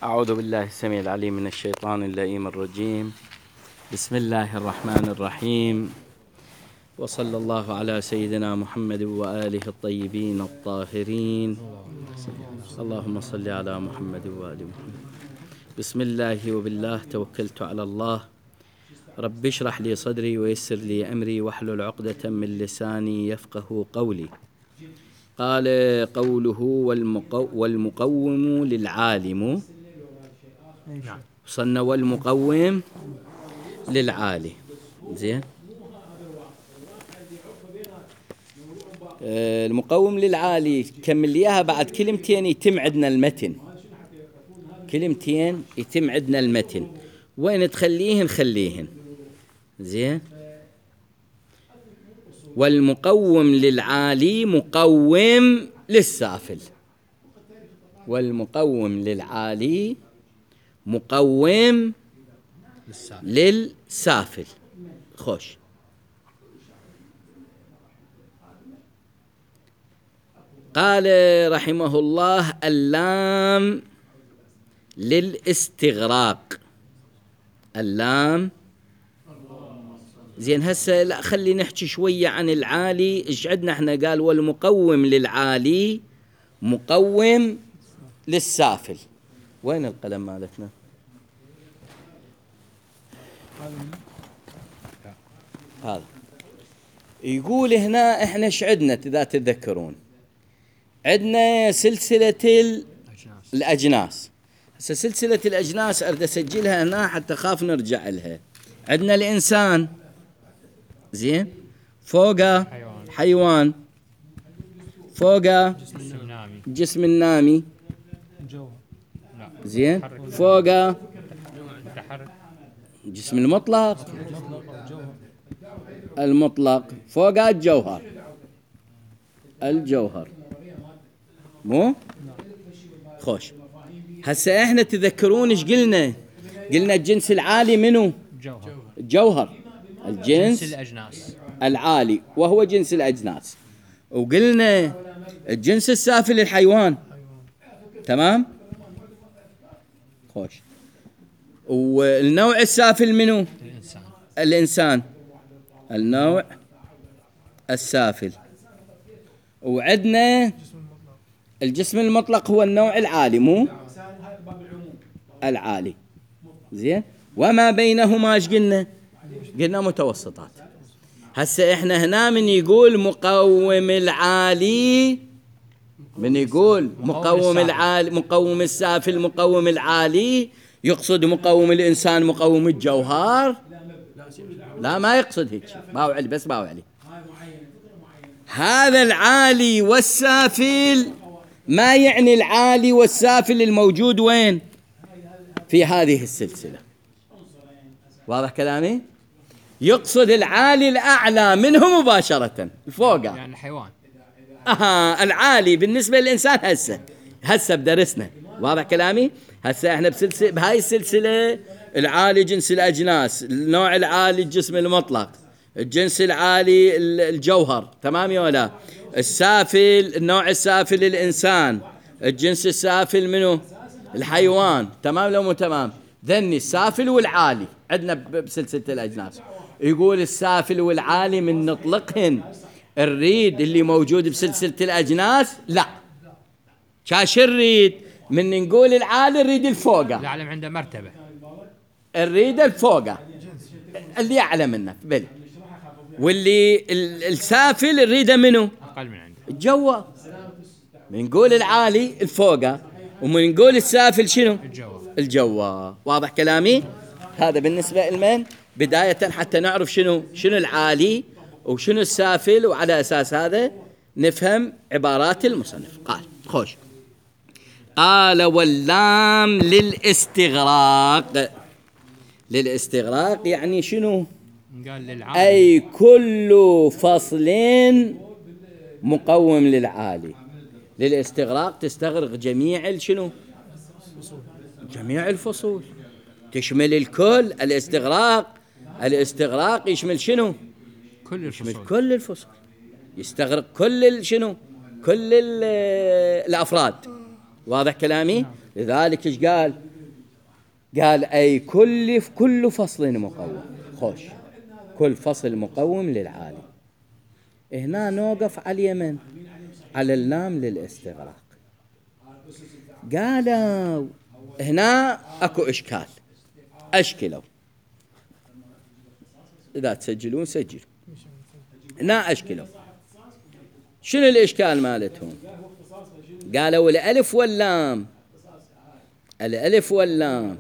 أعوذ بالله السميع العليم من الشيطان اللئيم الرجيم. بسم الله الرحمن الرحيم، وصلى الله على سيدنا محمد وآله الطيبين الطاهرين. اللهم صل على محمد وآل محمد. بسم الله وبالله توكلت على الله. رب اشرح لي صدري ويسر لي أمري واحلل عقدة من لساني يفقه قولي. قال قوله والمقوم للعالم. وصلنا والمقوم للعالي. زين، المقوم للعالي كمل اياها بعد كلمتين يتم عندنا المتن. كلمتين يتم عندنا المتن، وين تخليهن خليهن. زين، والمقوم للعالي مقوم للسافل. والمقوم للعالي مقوم للسافل. خوش. قال رحمه الله اللام للاستغراق. اللام. زين، هسه لا خلي نحكي شوية عن العالي. ايش عندنا احنا؟ قال والمقوم للعالي مقوم للسافل. وين القلم مالتنا؟ هذا يقول هنا احنا ايش عندنا اذا تتذكرون؟ عندنا سلسلة الأجناس. هسه سلسلة الأجناس أريد أسجلها هنا حتى خاف نرجع لها. عندنا الإنسان، زين، فوقه حيوان، فوقه جسم النامي، زين، فوقه جسم المطلق، المطلق، فوقه الجوهر. الجوهر مو خوش. هسه احنا تذكرون ايش قلنا؟ قلنا الجنس العالي منو؟ الجوهر. الجنس الأجناس العالي وهو جنس الأجناس. وقلنا الجنس السافل الحيوان. تمام؟ خوش. والنوع السافل منو؟ الإنسان. النوع السافل. وعدنا الجسم المطلق هو النوع العالي، مو العالي. زين، وما بينهما ايش قلنا؟ قلنا متوسطات. هسه احنا هنا من يقول مقوم العالي، من يقول مقوم العالي، مقوم السافل، مقوم العالي، يقصد مقوم الإنسان، مقوم الجوهر؟ لا، ما يقصد هيك. باوعلي بس، باوعلي. هذا العالي والسافل ما يعني العالي والسافل الموجود وين؟ في هذه السلسلة. واضح كلامي؟ يقصد العالي الأعلى منه مباشرة، فوقه، يعني الحيوان. العالي بالنسبة للإنسان. هسه بدرسنا. واضح كلامي؟ هسه احنا بهاي السلسلة العالي جنس الأجناس، النوع العالي الجسم المطلق، الجنس العالي الجوهر. تمام يا ولا؟ السافل، النوع السافل الإنسان، الجنس السافل منه الحيوان. تمام لو مو تمام؟ ذني السافل والعالي عندنا بسلسلة الأجناس. يقول السافل والعالي من نطلقهن الريد اللي موجود بسلسلة الأجناس. لا، شاش الريد من نقول العالي الريد الفوقه. العالم عنده مرتبة. الريد الفوقه اللي أعلى منه بل، واللي السافل الريده منه أقل من عنده الجوا. من نقول العالي الفوقه، ومن نقول السافل شنو؟ الجوا. واضح كلامي؟ هذا بالنسبة لمن بداية حتى نعرف شنو العالي وشنو السافل، وعلى أساس هذا نفهم عبارات المصنف. قال خوش. قال واللام للاستغراق. للاستغراق يعني شنو؟ قال للعالي. أي كل فصل مقوم للعالي. للاستغراق تستغرق جميع شنو؟ جميع الفصول، تشمل الكل. الاستغراق يشمل شنو؟ يشمل كل الفصول، يستغرق كل شنو؟ كل الأفراد. واضح كلامي؟ لذلك ايش قال؟ قال أي كل فصل مقوم. خوش، كل فصل مقوم للعالي. هنا نوقف على اليمن، على اللام للاستغراق. قالوا هنا اكو اشكال، اشكلوا. اذا تسجلون سجلوا. هنا اشكلوا. شنو الاشكال مالتهم؟ قالوا الالف واللام، الالف واللام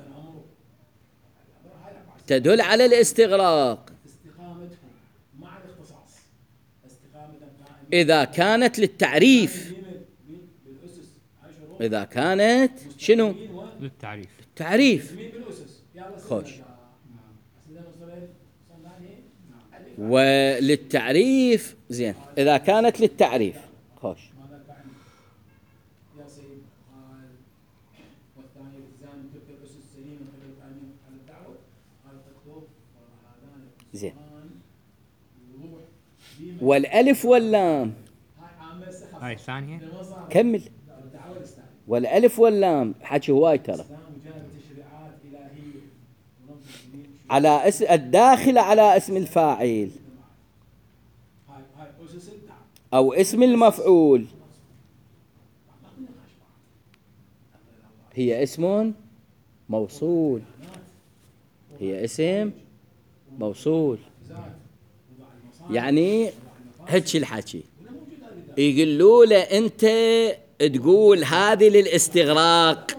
تدل على الاستغراق إذا كانت للتعريف. إذا كانت شنو؟ للتعريف. تعريف. خوش. وللتعريف زين، إذا كانت للتعريف. خوش. زين. والألف واللام هاي الثانية. كمل. والألف واللام حكي هواي ترى. على اسم الداخل على اسم الفاعل أو اسم المفعول، هي اسم موصول. هي اسم موصول. يعني هيك الحكي يقولوا له أنت تقول هذه للاستغراق،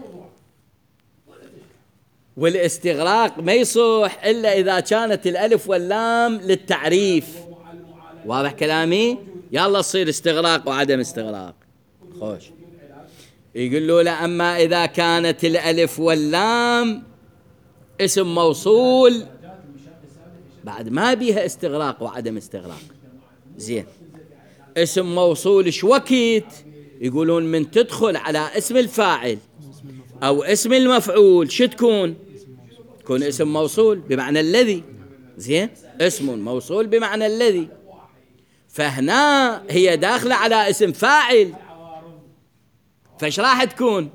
والاستغراق ما يصح إلا إذا كانت الألف واللام للتعريف. واضح كلامي؟ يلا تصير استغراق وعدم استغراق. خوش. يقولوا له أما إذا كانت الألف واللام اسم موصول بعد ما بيها استغراق وعدم استغراق. زين. اسم موصول شوكت؟ يقولون من تدخل على اسم الفاعل أو اسم المفعول شو تكون؟ تكون اسم موصول بمعنى الذي. زين. اسم موصول بمعنى الذي. فهنا هي داخلة على اسم فاعل، فايش راح تكون؟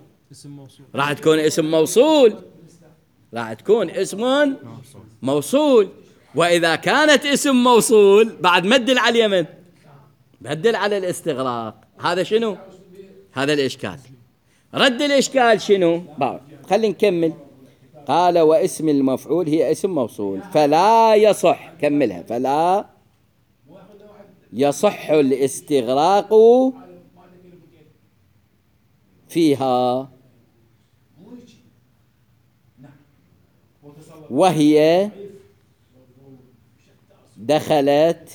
راح تكون اسم موصول. راح تكون اسم موصول. وإذا كانت اسم موصول بعد مدل على اليمن، بدل على الاستغراق. هذا شنو؟ هذا الإشكال. رد الإشكال شنو؟ خلينا نكمل. قال واسم المفعول هي اسم موصول فلا يصح. كملها. فلا يصح الاستغراق فيها، وهي دخلت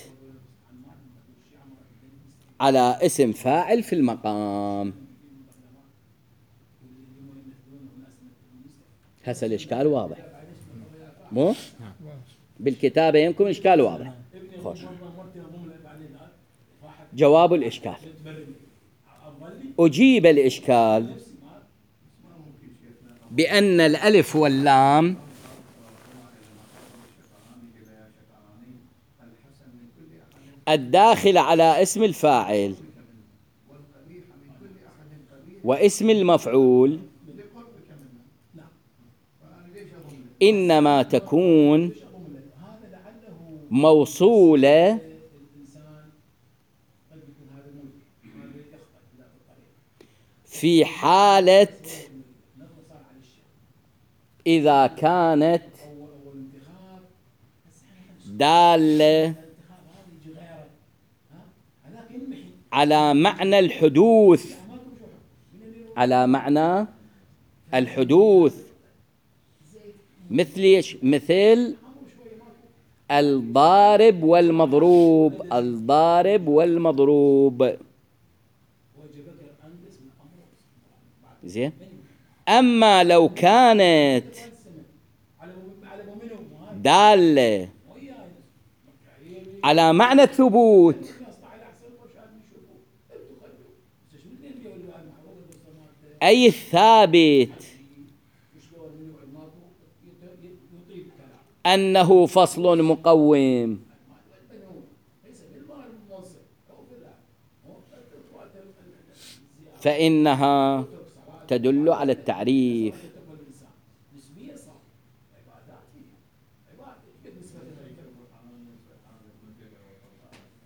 على اسم فاعل في المقام. هسه الإشكال واضح مو؟ بالكتابة يمكن إشكال واضح. خوش. جواب الإشكال. أجيب الإشكال بأن الألف واللام الداخل على اسم الفاعل واسم المفعول إنما تكون موصولة في حالة إذا كانت دالة على معنى الحدوث، على معنى الحدوث. مثل الضارب والمضروب. الضارب والمضروب. زين. أما لو كانت دالة على معنى الثبوت، أي الثابت أنه فصل مقوم، فإنها تدل على التعريف.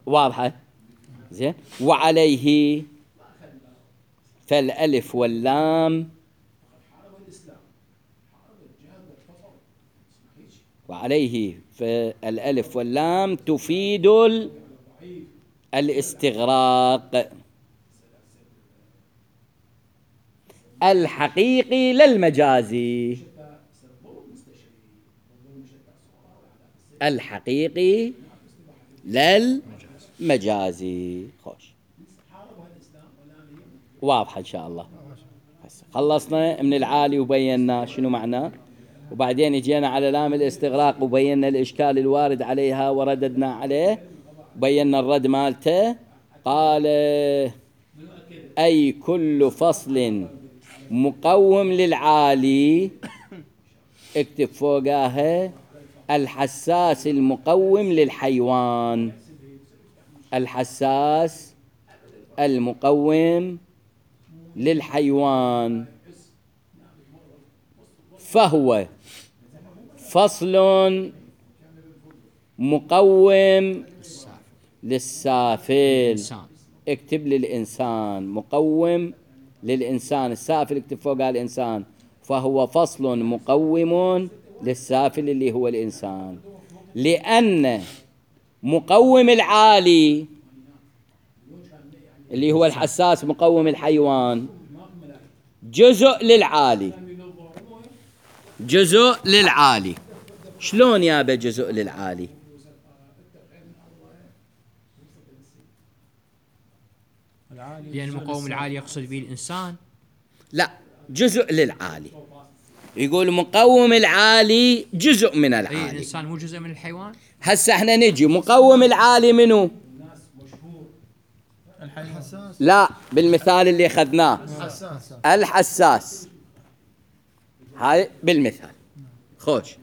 واضحة زين. وعليه فالألف واللام، وعليه فالألف واللام تفيد الاستغراق الحقيقي للمجازي. الحقيقي للمجازي. خوش واضحة إن شاء الله. خلصنا من العالي وبينا شنو معناه، وبعدين اجينا على لام الاستغراق وبينا الإشكال الوارد عليها ورددنا عليه، بينا الرد مالته. قال أي كل فصل مقوم للعالي، اكتب فوقاها الحساس المقوم للحيوان. الحساس المقوم للحيوان فهو فصل مقوم للسافل. اكتب للإنسان مقوم للإنسان، السافل اكتب فوقها الإنسان، فهو فصل مقوم للسافل اللي هو الإنسان. لأن مقوم العالي اللي هو الحساس مقوم الحيوان جزء للعالي. جزء للعالي. شلون يابا جزء للعالي؟ لأن المقوم العالي يقصد به الإنسان. لا، جزء للعالي. يقول مقوم العالي جزء من العالي. أي الإنسان مو جزء من الحيوان؟ هسه احنا نجي مقوم العالي منو؟ الحساس. لا، بالمثال اللي اخذناه الحساس. هاي بالمثال. خوش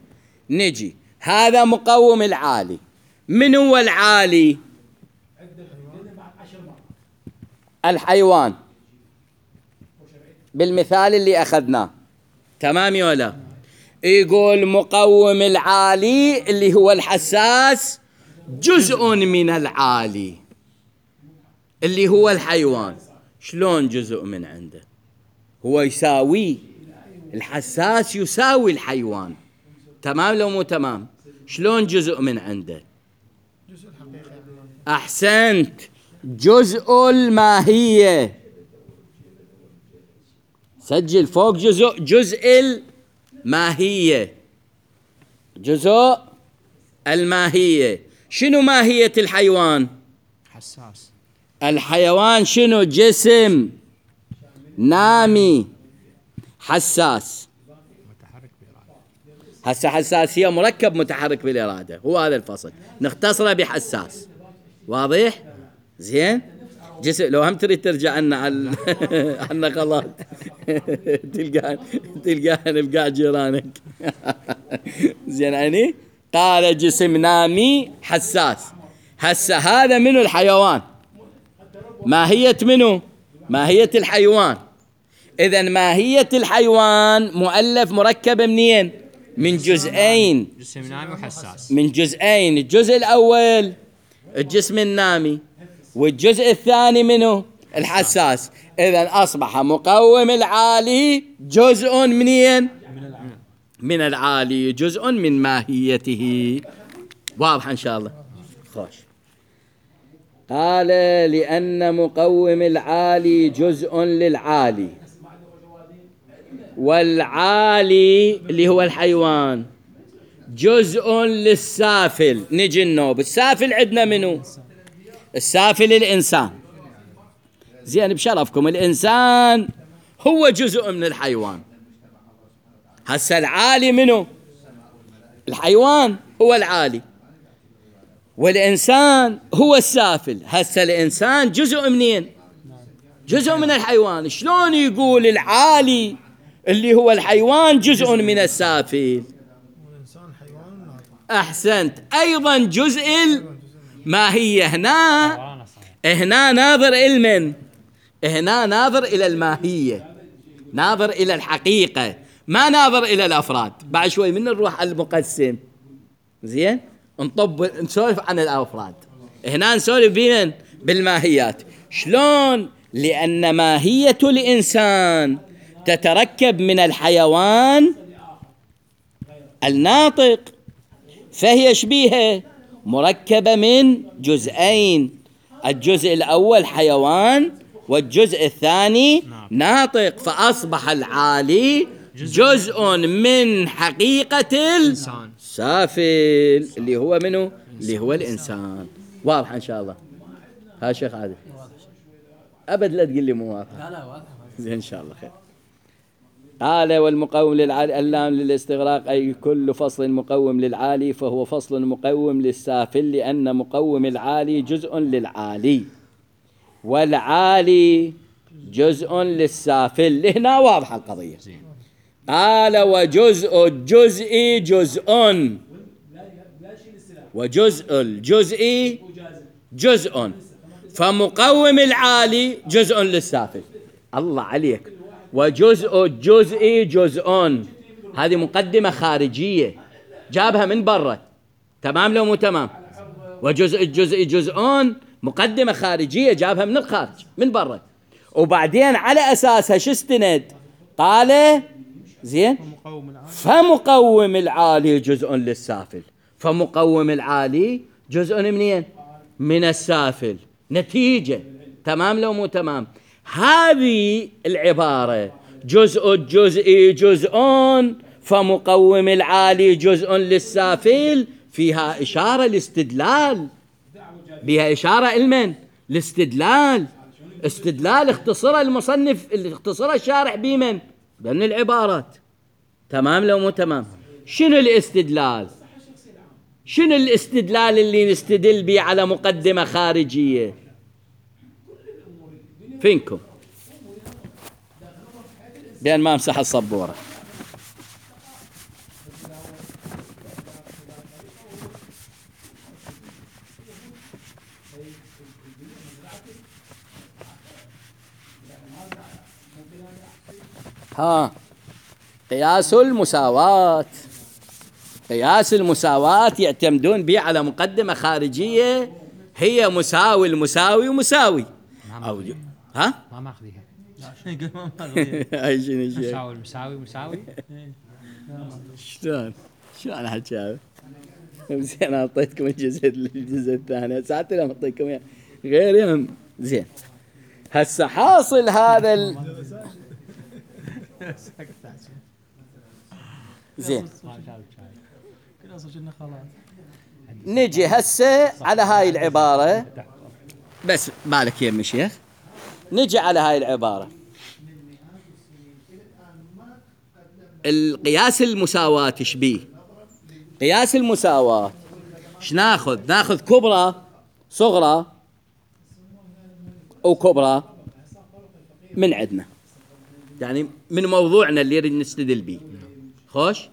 نجي هذا مقوم العالي. من هو العالي؟ الحيوان بالمثال اللي أخذناه. تمام ولا؟ يقول مقوم العالي اللي هو الحساس جزء من العالي اللي هو الحيوان. شلون جزء من عنده؟ هو يساوي الحساس، يساوي الحيوان. تمام لو مو تمام؟ شلون جزء من عنده؟ أحسنت، جزء الماهية. سجل فوق جزء الماهية. جزء الماهية. شنو ماهية الحيوان؟ حساس. الحيوان شنو؟ جسم نامي حساس. متحرك بإرادة. هسه حساسية مركب متحرك بالإرادة، هو هذا الفصل نختصره بحساس. واضح؟ زين. جسم لو هم تريد ترجع عنا عنا غلط تلقانا بقاع جيرانك زين. يعني قال جسم نامي حساس. هسه هذا منو؟ الحيوان. ماهية منو؟ ماهية الحيوان. إذن ماهية الحيوان مؤلف مركب منين؟ من جزئين. جسم نامي وحساس. من جزئين. الجزء الأول الجسم النامي، والجزء الثاني منه الحساس. إذن أصبح مقوم العالي جزء منين؟ من العالي، جزء من ماهيته. واضح إن شاء الله. خوش. قال لأن مقوم العالي جزء للعالي، والعالي اللي هو الحيوان جزء للسافل. نجي النوب. السافل عندنا منو؟ السافل الإنسان. زين بشرفكم الإنسان هو جزء من الحيوان. هسه العالي منو؟ الحيوان هو العالي، والإنسان هو السافل. هسه الإنسان جزء منين؟ جزء من الحيوان. شلون يقول العالي اللي هو الحيوان جزء من السافل؟ أحسنت. أيضا جزء الماهية. هنا ناظر إلمن؟ هنا ناظر إلى الماهية، ناظر إلى الحقيقة، ما ناظر إلى الأفراد. بعد شوي من نروح على المقسم. زين نسولف عن الأفراد. هنا نسولف بمن؟ بالماهيات. شلون؟ لأن ماهية الإنسان تتركب من الحيوان الناطق، فهي شبيهة مركبة من جزئين، الجزء الأول حيوان والجزء الثاني ناطق، فأصبح العالي جزء من حقيقة السافل اللي هو منه؟ اللي هو الإنسان. واضح إن شاء الله؟ ها شيخ عادل أبد لا تقول لي مو واضح. لا واضح زين إن شاء الله خير. قال والمقوم للعالي اللام للاستغراق، أي كل فصل مقوم للعالي فهو فصل مقوم للسافل، لأن مقوم العالي جزء للعالي والعالي جزء للسافل. هنا واضحة القضية. قال وجزء الجزء جزء، وجزء الجزء جزء، فمقوم العالي جزء للسافل. الله عليك. وجزء الجزء جزء، هذه مقدمة خارجية جابها من برا، تمام لو مو تمام؟ وجزء الجزء جزء مقدمة خارجية جابها من الخارج من برا، وبعدين على أساسها شو استند؟ قال زين فمقوم العالي جزء للسافل، فمقوم العالي جزء منين؟ من السافل. نتيجة، تمام لو مو تمام؟ هذه العبارة جزء الجزء جزء فمقوم العالي جزء للسافل فيها إشارة الاستدلال، بها إشارة المن؟ الاستدلال. استدلال اختصر المصنف، اختصر الشارح بمن؟ بأن العبارات. تمام لو مو تمام؟ شنو الاستدلال؟ شنو الاستدلال اللي نستدل به على مقدمة خارجية؟ فينكم؟ بأن ما امسح الصبورة. ها قياس المساواة. قياس المساواة يعتمدون به على مقدمة خارجية هي مساوي المساوي ومساوي. أو ها؟ ما ماخذيها. أي شنو شيء؟ مساوي المساوي مساوي. شلون حكاوي؟ زين أعطيتكم الجزء الثاني، ساعات لما أعطيكم غيرهم. زين هسه حاصل هذا زين نجي هسه على هاي العبارة، بس بالك يا شيخ. نجي على هاي العبارة القياس المساواة تشبيه. قياس المساواة شناخذ؟ ناخذ كبرى صغرى وكبرى من عندنا، يعني من موضوعنا اللي نريد نستدل به. خوش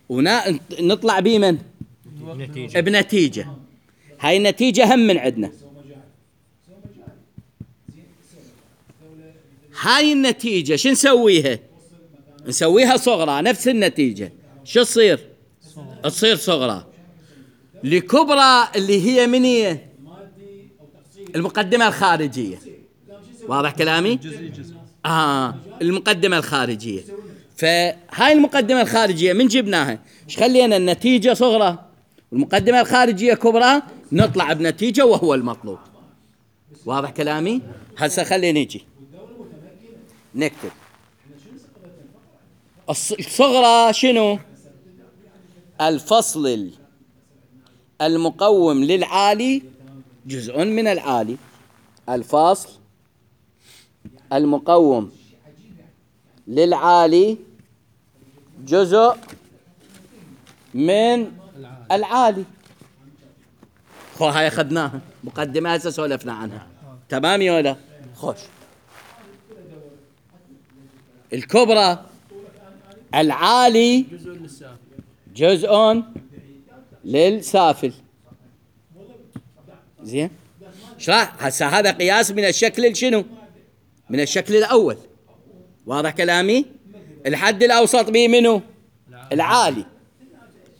ونطلع بمن؟ بنتيجة. هاي النتيجة هم من عندنا. هاي النتيجة شو نسويها؟ نسويها صغرى، نفس النتيجة شو تصير؟ تصير صغرى لكبرى اللي هي من هي؟ المقدمة الخارجية. واضح كلامي؟ المقدمة الخارجية. فهاي المقدمة الخارجية من جبناها ايش خلينا؟ النتيجة صغرى والمقدمة الخارجية كبرى، نطلع بنتيجة وهو المطلوب. واضح كلامي؟ هسه خلينا نيجي نكتب الصغرى شنو؟ الفصل المقوم للعالي جزء من العالي. الفصل المقوم للعالي جزء من العالي. هاي أخذناها مقدمة هسه سولفنا عنها، تمام يا ولا؟ خوش الكبرى العالي جزء للسافل. زين شرح هسه هذا قياس من الشكل شنو؟ من الشكل الأول. واضح كلامي؟ الحد الأوسط به منه؟ العالي.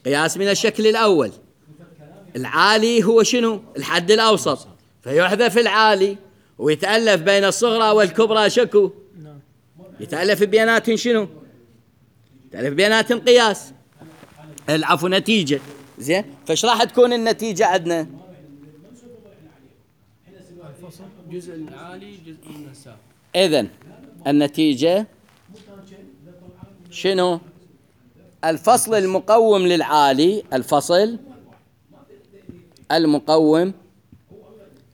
قياس من الشكل الأول. العالي هو شنو؟ الحد الأوسط، فيحذف العالي ويتألف بين الصغرى والكبرى شكو؟ يتألف بيناتهم شنو؟ يتألف بيناتهم قياس، العفو نتيجة. زين، فايش راح تكون النتيجة عندنا؟ جزء العالي جزء من السافل. إذن النتيجة شنو؟ الفصل المقوم للعالي، الفصل المقوم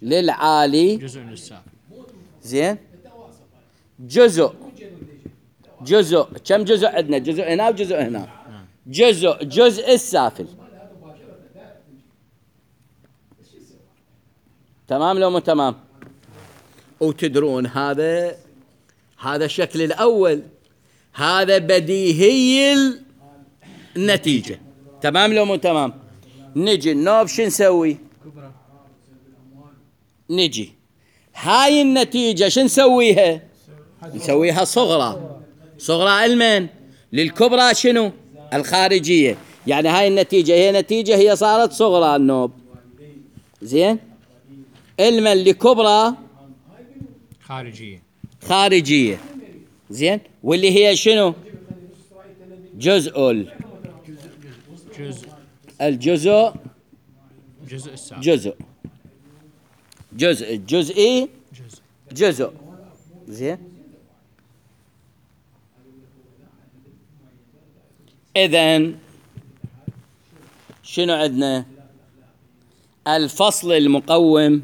للعالي جزء من السافل. زين، جزء كم جزء عندنا؟ جزء هنا وجزء هنا. جزء السافل. تمام لو مو تمام؟ وتدرون هذا الشكل الأول، هذا بديهي النتيجة. تمام لو مو تمام؟ نجي النوب شو نسوي؟ نجي هاي النتيجة شو نسويها؟ نسويها صغرى المن للكبرى شنو؟ الخارجية. يعني هاي النتيجة هي نتيجة، هي صارت صغرى النوب. زين، المن لكبرى خارجية. زين، واللي هي شنو؟ الجزء الجزئي جزء. زين، إذن شنو عندنا؟ الفصل المقوم،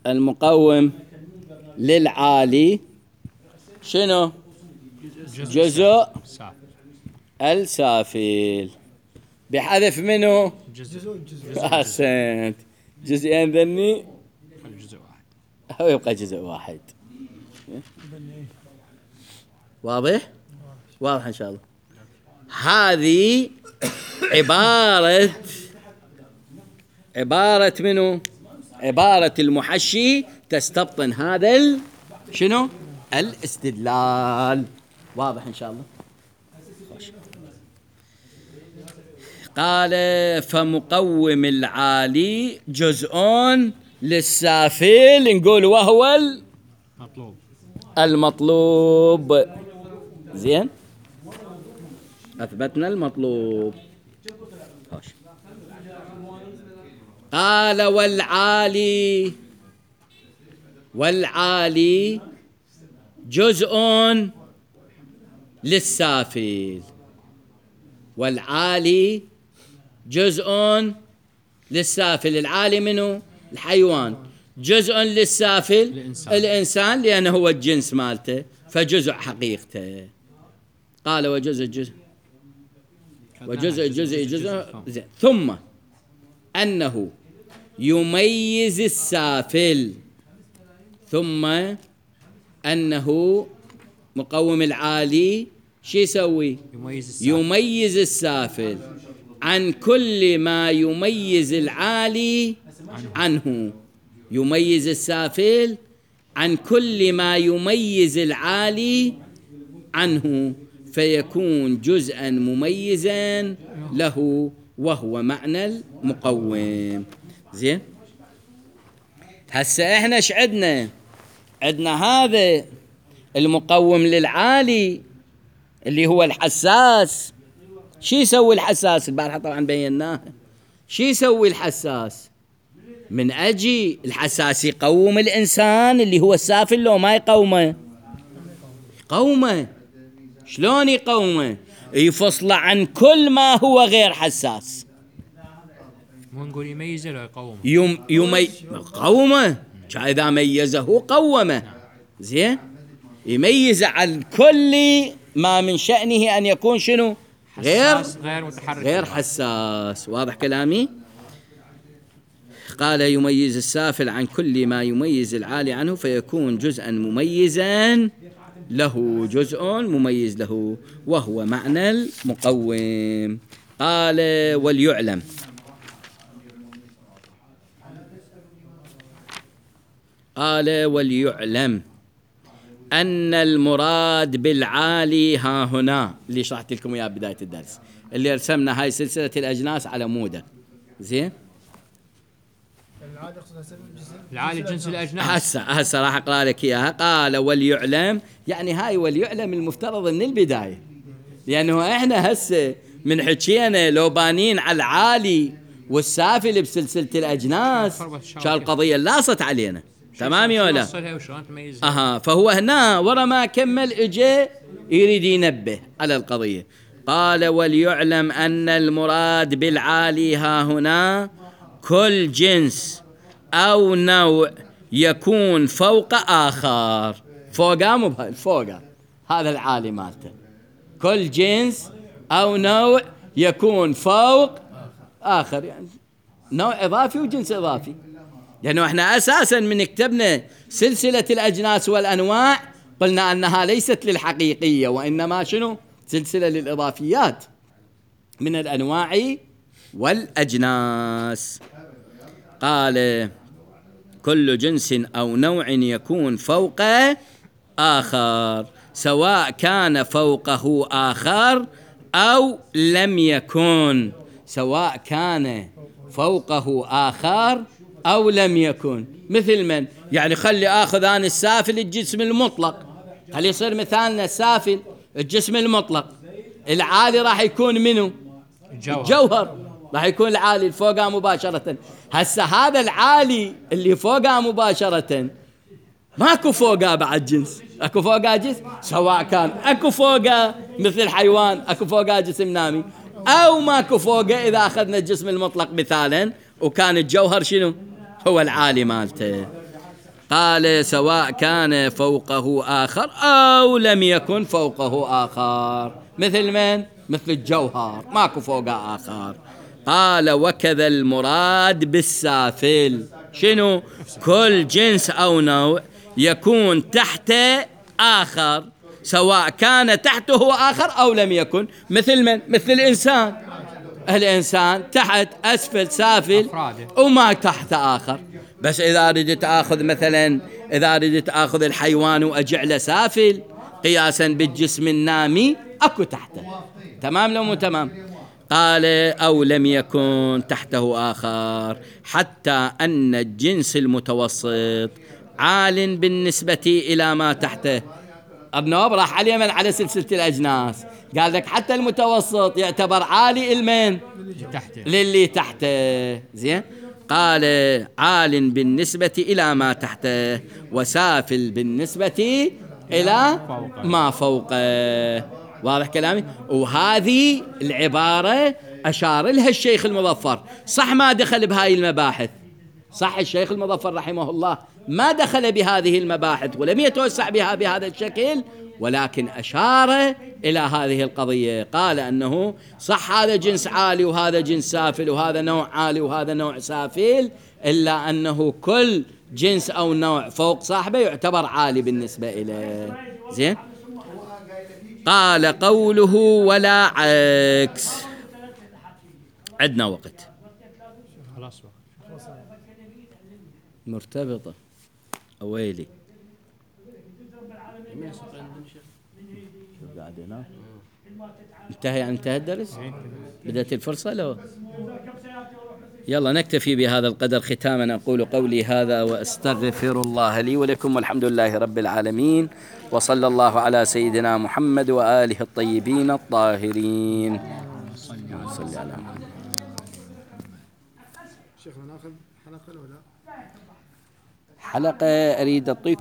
المقوم للعالي شنو؟ جزء السافل، بحذف منه أحسنت، جزئين ذني أو يبقى جزء واحد. واضح إن شاء الله. هذه عبارة منه؟ عبارة المحشي تستبطن هذا شنو؟ الاستدلال. واضح إن شاء الله. قال فمقوم العالي جزء للسافل، نقول وهو المطلوب. زين، أثبتنا المطلوب. قال والعالي جزء للسافل، والعالي جزء للسافل. العالي منه؟ الحيوان. جزء للسافل الإنسان لأنه هو الجنس مالته، فجزء حقيقته. قال وجزء زين. ثم أنه يميز السافل، ثم أنه مقوم العالي شو يسوي؟ يميز السافل عن كل ما يميز العالي عنه. يميز السافل عن كل ما يميز العالي عنه، فيكون جزءا مميزا له، وهو معنى المقوم. زين، هسه احنا ايش عندنا؟ عندنا هذا المقوم للعالي اللي هو الحساس. شو يسوي الحساس؟ البارحة طبعا بيناها. شو يسوي الحساس؟ من أجي الحساس يقوم الإنسان اللي هو السافل، لو ما يقومه؟ يقومه. شلون يقومه؟ يفصله عن كل ما هو غير حساس. مو نقول يميزه لو يقومه؟ قومه، إذا ميزه قومه. زين، يميز عن كل ما من شأنه أن يكون شنو؟ غير حساس. واضح كلامي؟ قال يميز السافل عن كل ما يميز العالي عنه، فيكون جزءا مميزا له، جزء مميز له، وهو معنى المقوم. قال وليعلم. أن المراد بالعالي ها هنا اللي شرحت لكم إياه بداية الدرس، اللي رسمنا هاي سلسلة الأجناس على مودة. زين، العالي جنس الأجناس. هسه راح أقرأ لك إياها. قال وليعلم، يعني هاي وليعلم المفترض من البداية، لأنه إحنا هسه من حكينا لو بانين على العالي والسافل بسلسلة الأجناس كان القضية لاصت علينا. تمام يا ولا؟ فهو هنا ورا ما كمل اجى يريد ينبه على القضية. قال وليعلم أن المراد بالعالي ها هنا كل جنس أو نوع يكون فوق آخر. فوقه هذا العالي مالته، كل جنس أو نوع يكون فوق آخر، يعني نوع إضافي وجنس إضافي. لأنه إحنا أساساً من كتبنا سلسلة الأجناس والأنواع قلنا أنها ليست للحقيقية، وإنما شنو؟ سلسلة للإضافيات من الأنواع والأجناس. قال كل جنس أو نوع يكون فوق آخر، سواء كان فوقه آخر أو لم يكن. سواء كان فوقه آخر أو لم يكن. مثل من؟ يعني خلي آخذ أنا السافل الجسم المطلق، خلي يصير مثالنا السافل الجسم المطلق، العالي راح يكون منه الجوهر، راح يكون العالي الفوقها مباشرة. هسه هذا العالي اللي فوقها مباشرة ماكو فوقها بعد جنس، اكو فوقها جنس، سواء كان اكو فوقها مثل الحيوان اكو فوقها جسم نامي، او ماكو فوقها اذا اخذنا الجسم المطلق مثالا وكان الجوهر شنو هو العالي مالته. قال سواء كان فوقه آخر أو لم يكن فوقه آخر. مثل من؟ مثل الجوهر ماكو فوقه آخر. قال وكذا المراد بالسافل شنو؟ كل جنس أو نوع يكون تحت آخر، سواء كان تحته آخر أو لم يكن. مثل من؟ مثل الإنسان، الإنسان تحت أسفل سافل وما تحت آخر. بس إذا أردت أخذ مثلا، إذا أردت أخذ الحيوان وأجعله سافل قياسا بالجسم النامي أكو تحته. تمام لو مو تمام؟ قال أو لم يكن تحته آخر، حتى أن الجنس المتوسط عال بالنسبة إلى ما تحته. ابن راح على اليمن على سلسلة الأجناس، قال لك حتى المتوسط يعتبر عالي المن للي تحته. زين، قال عال بالنسبة إلى ما تحته وسافل بالنسبة إلى ما فوقه. واضح كلامي؟ وهذه العبارة أشار لها الشيخ المظفر. صح ما دخل بهاي المباحث، صح الشيخ المظفر رحمه الله ما دخل بهذه المباحث ولم يتوسع بها بهذا الشكل، ولكن أشار إلى هذه القضية. قال أنه صح هذا جنس عالي وهذا جنس سافل وهذا نوع عالي وهذا نوع سافل، إلا أنه كل جنس أو نوع فوق صاحبه يعتبر عالي بالنسبة إليه. زين، قال قوله ولا عكس. عندنا وقت خلاص مرتبطة أويلي انتهى الدرس، بدأت الفرصة لو يلا نكتفي بهذا القدر. ختاما أقول قولي هذا وأستغفر الله لي ولكم، والحمد لله رب العالمين، وصلى الله على سيدنا محمد وآله الطيبين الطاهرين. صلى على محمد. شيخنا ناخذ حلقة ولا حلقة أريد أعطيكم